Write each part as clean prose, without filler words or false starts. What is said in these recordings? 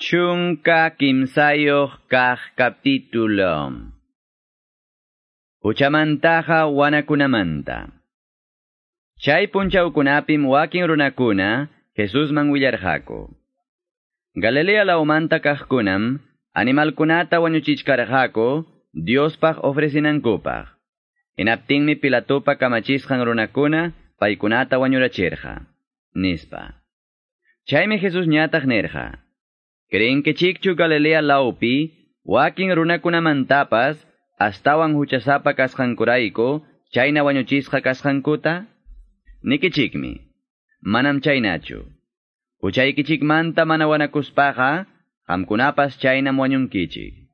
13 kaq capítulo. Huchamantaqa wanakunamanta. Chay punchawkunapim wakin runakuna Jesusman willarqaku. Galilea lawmanta kaqkunam animalkunata wañuchichkarqaku Diospaq ofrecinankupaq. Hinaptinmi Pilatopa kamachisqan runakuna paykunata wañurachirqa, nispa. Chaymi Jesus ñataq nirqa: Creenkichikchu Galilea lawpi wakin runakunamantapas astawan huchasapa kasqankurayku chayna wañuchisqa kasqankuta? Nikichikmi, manam chaynachu. Huchaykichikmanta mana wanakuspaqa qamkunapas chaynam wañunkichik.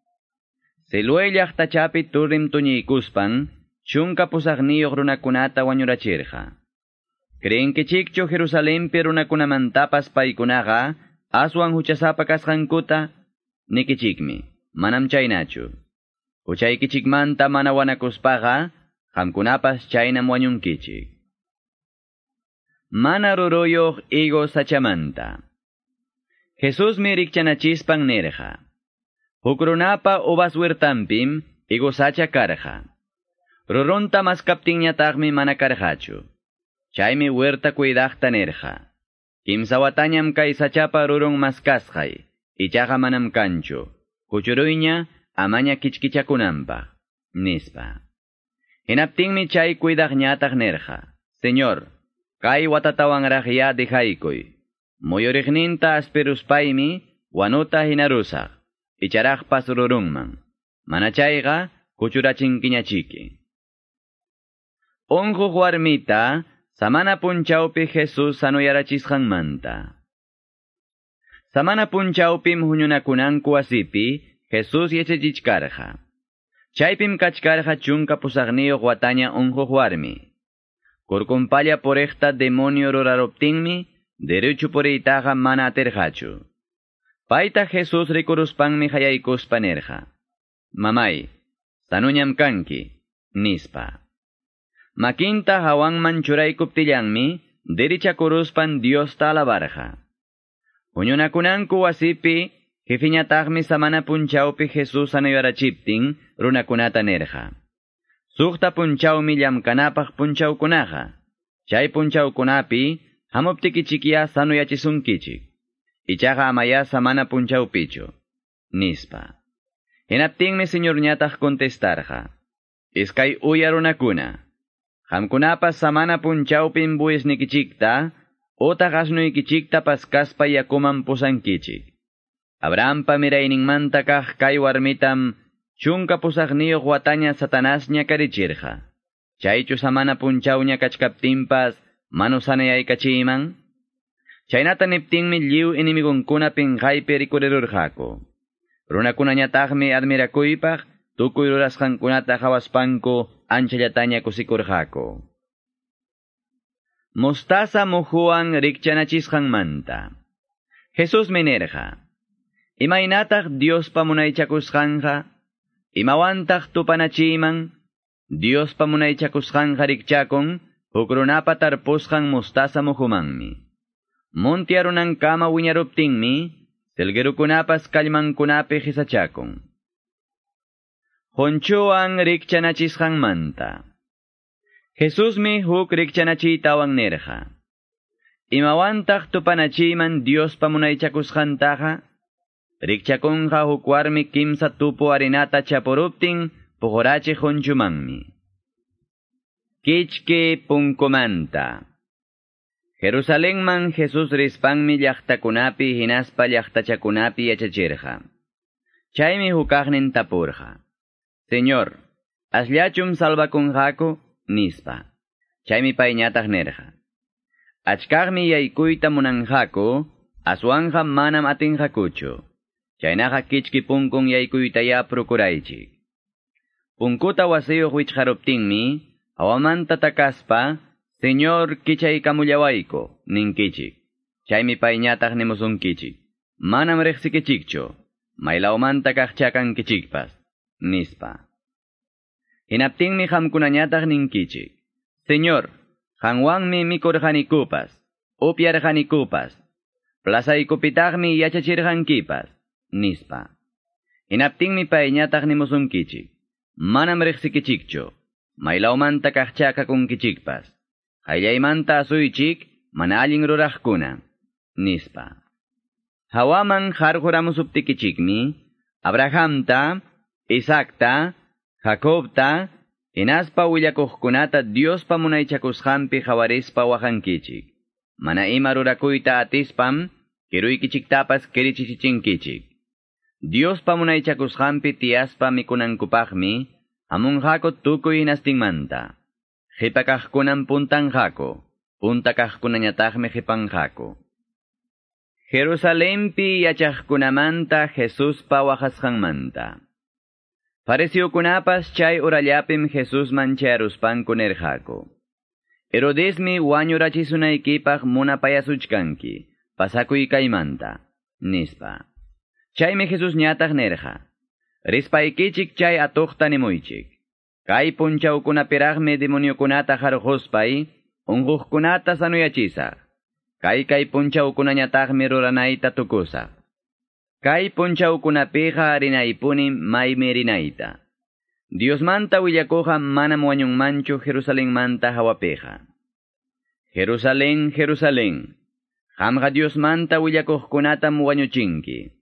Siloé llaqtachapi turrim tuñiykuspan 18 runakunata wañurachirqa. Creenkichikchu Jerusalenpi runakunamantapas paykunaqa aswan huchasapa kasqankuta? Nikichikmi, manam chaynachu. Huchaykichikmanta mana wanakuspaqa qamkunapas chaynam wañunkichik. Mana ruruyuq higo sachamanta. Jesusmi rikchanachispan nirqa: Huk runapa uvas huertanpim higo sacha karqa. Rurunta maskaptinñataqmi mana karqachu. Chaymi huerta cuidaqta nirqa: Kimsa watañam kay sachapa rurun maskasqay, ichaqa manam kanchu. Kuchuruyña amaña kichkichakunanpaq, nispa. Hinaptinmi chay cuidaqñataq nirqa: Señor, kay watatawanraqya dejaykuy. Muyuriqninta aspiruspaymi wanuta hinarusaq, icharaqpas rurunman. Mana chayqa kuchurachinkiñachiki. Unquq warmita samana punchawpi Jesus sanuyarachisqanmanta. Samana punchawpim huñunakunanku wasipi Jesus yachachichkarqa. Chaypim kachkarqa 18 wataña unquq warmi. Kurkunpalla puriqta demonio ruraruptinmi derecho puriytaqa mana atirqachu. Payta Jesus rikuruspanmi hayaykuspa nirqa: Mamay, sanuñam kanki, nispa. Makinta hawanman churaykuptillanmi derichakuruspan Diosta alabarqa. Huñunakunanku wasipi jefiñataqmi samana punchawpi Jesus sanuyarachiptin runakunata nirqa: 6 punchawmi llamkanapaq punchawkunaqa. Chay punchawkunapi hamuptikichikya sanuyachisunkichik. Ichaqa amaya samana punchawpichu, nispa. Hinaptinmi Señorñataq contestarqa: Iskay uya runakuna, qamkunapas samana punchawpim buesnikichikta utaq asnuykichikta paskaspa yakuman pusankichik. Abrahampa mirayninmanta kaq kay warmitam 18 wataña Satanás ñakarichirqa. Chaychu samana punchawña kachkaptinpas manu sanayaykachiyman? Chaynata niptinmi lliw enemigunkuna pinqaypi rikurirurqaku. Runakunañataqmi admirakuypaq tukuy rurasqankunata qhawaspanku anchallataña kusikurqaku. Mostaza muhuwan rikchanachisqanmanta. Jesusmi nirqa: Imaynataq Diospa munaychakusqanqa? Imawantaq tupanachiyman? Diospa munaychakusqanqa rikchakun huk runapa tarpusqan mostaza muhumanmi. Munti arunankama wiñaruptinmi selguerukunapas kallmankunapi qhisachakun. Qunchuwan rikchanachisqanmanta. Jesusmi huk rikchanachiytawan nirqa: Imawantaq tupanachiyman Diospa munaychakusqantaqa? Rikchakunqa huk warmi 3 tupu harinata chapuruptin puqurachiq qunchumanmi. Kichki punkumanta. Jerusalenman Jesus rispanmi llaqtakunapi hinaspa llaqtachakunapi yachachirqa. Chaymi hukaqnin tapurqa: Señor, asllachum salvakunqaku, nispa. Chaymi payñataq nirqa: Achkaqmi yaykuyta munanqaku, aswanqa manam atinqakuchu. Chaynaqa kichki punkun yaykuytaya procuraychik. Punkuta wasiyuq wichqaruptinmi, hawamanta takaspa, Señor, kichaykamullawayku, ninkichik. Chaymi payñataq nimusunkichik: Manam riqsikichikchu, maylawmanta kaqchakankichikpas, nispa. Hinaptinmi qamkunañataq ninkichik: Señor, qanwanmi mikurqanikupas, upyarqanikupas, plazaykupitaqmi yachachirqankipas. Nispa. Hinaptinmi payñataq nimusunkichik. Manam riqsikichikchu. Maylawmanta kaqcha kakunkichikpas. Qayllaymanta asuychik, mana allin ruraqkuna. Nispa. Hawaman qarquramusuptikichikmi, Abrahamta, Isaacta, Jacobta, hinaspa willakuqkunata Diospa munaychakusqanpi qawarispa waqankichik. Mana ima rurakuyta atispam, kiruykichiktapas kirichichichinkichik. Diospa munaychakusqanpi tiyaspa mikunankupaqmi, hamunqaku tukuy hinastinmanta. Qipa kaqkunam puntanqaku, punta kaqkunañataqmi qipanqaku. Jerusalempi yachaqkunamanta Jesuspa waqasqanmanta. Fariseokunapas chay urallapim Jesusman chayaruspanku nirqaku. Herodesmi wañurachisunaykipaq munapayasuchkanki, pasakuy kaymanta, nispa. Chaymi Jesus ñataq nirqa. Rispaykichik chay atuqta nimuychik. Kay punchawkunapiraqmi demoniokunata qarquspay, unquqkunata sanuyachisaq. Kay kay punchawkunañataqmi ruranayta tukusaq. Kay punchawkunapiqa rinaypuni maymi rinayta. Diosmanta willakuqa manam wañunmanchu Jerusalenmanta hawapiqa. Jerusalén, Jerusalén, qamqa Diosmanta willakuqkunatam wañuchinki.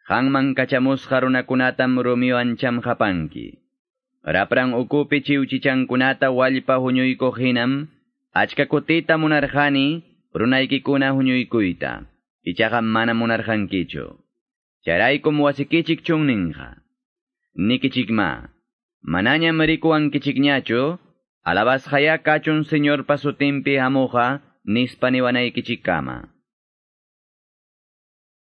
Qanman kachamusqa runakunatam rumiwan chamqapanki. Rapran ukupi chiwchichankunata wallpa huñuykuq hinam, achka kutita munarqani, runaykikuna huñuykuyta. Ichaqa mana munarqankichu. Chayraykum wasikichik chunninqa. Nikichikma, manañam rikuwankichikñachu, alabasqaya kachun Señorpa sutinpi hamuqa, nispa niwanaykichikkama.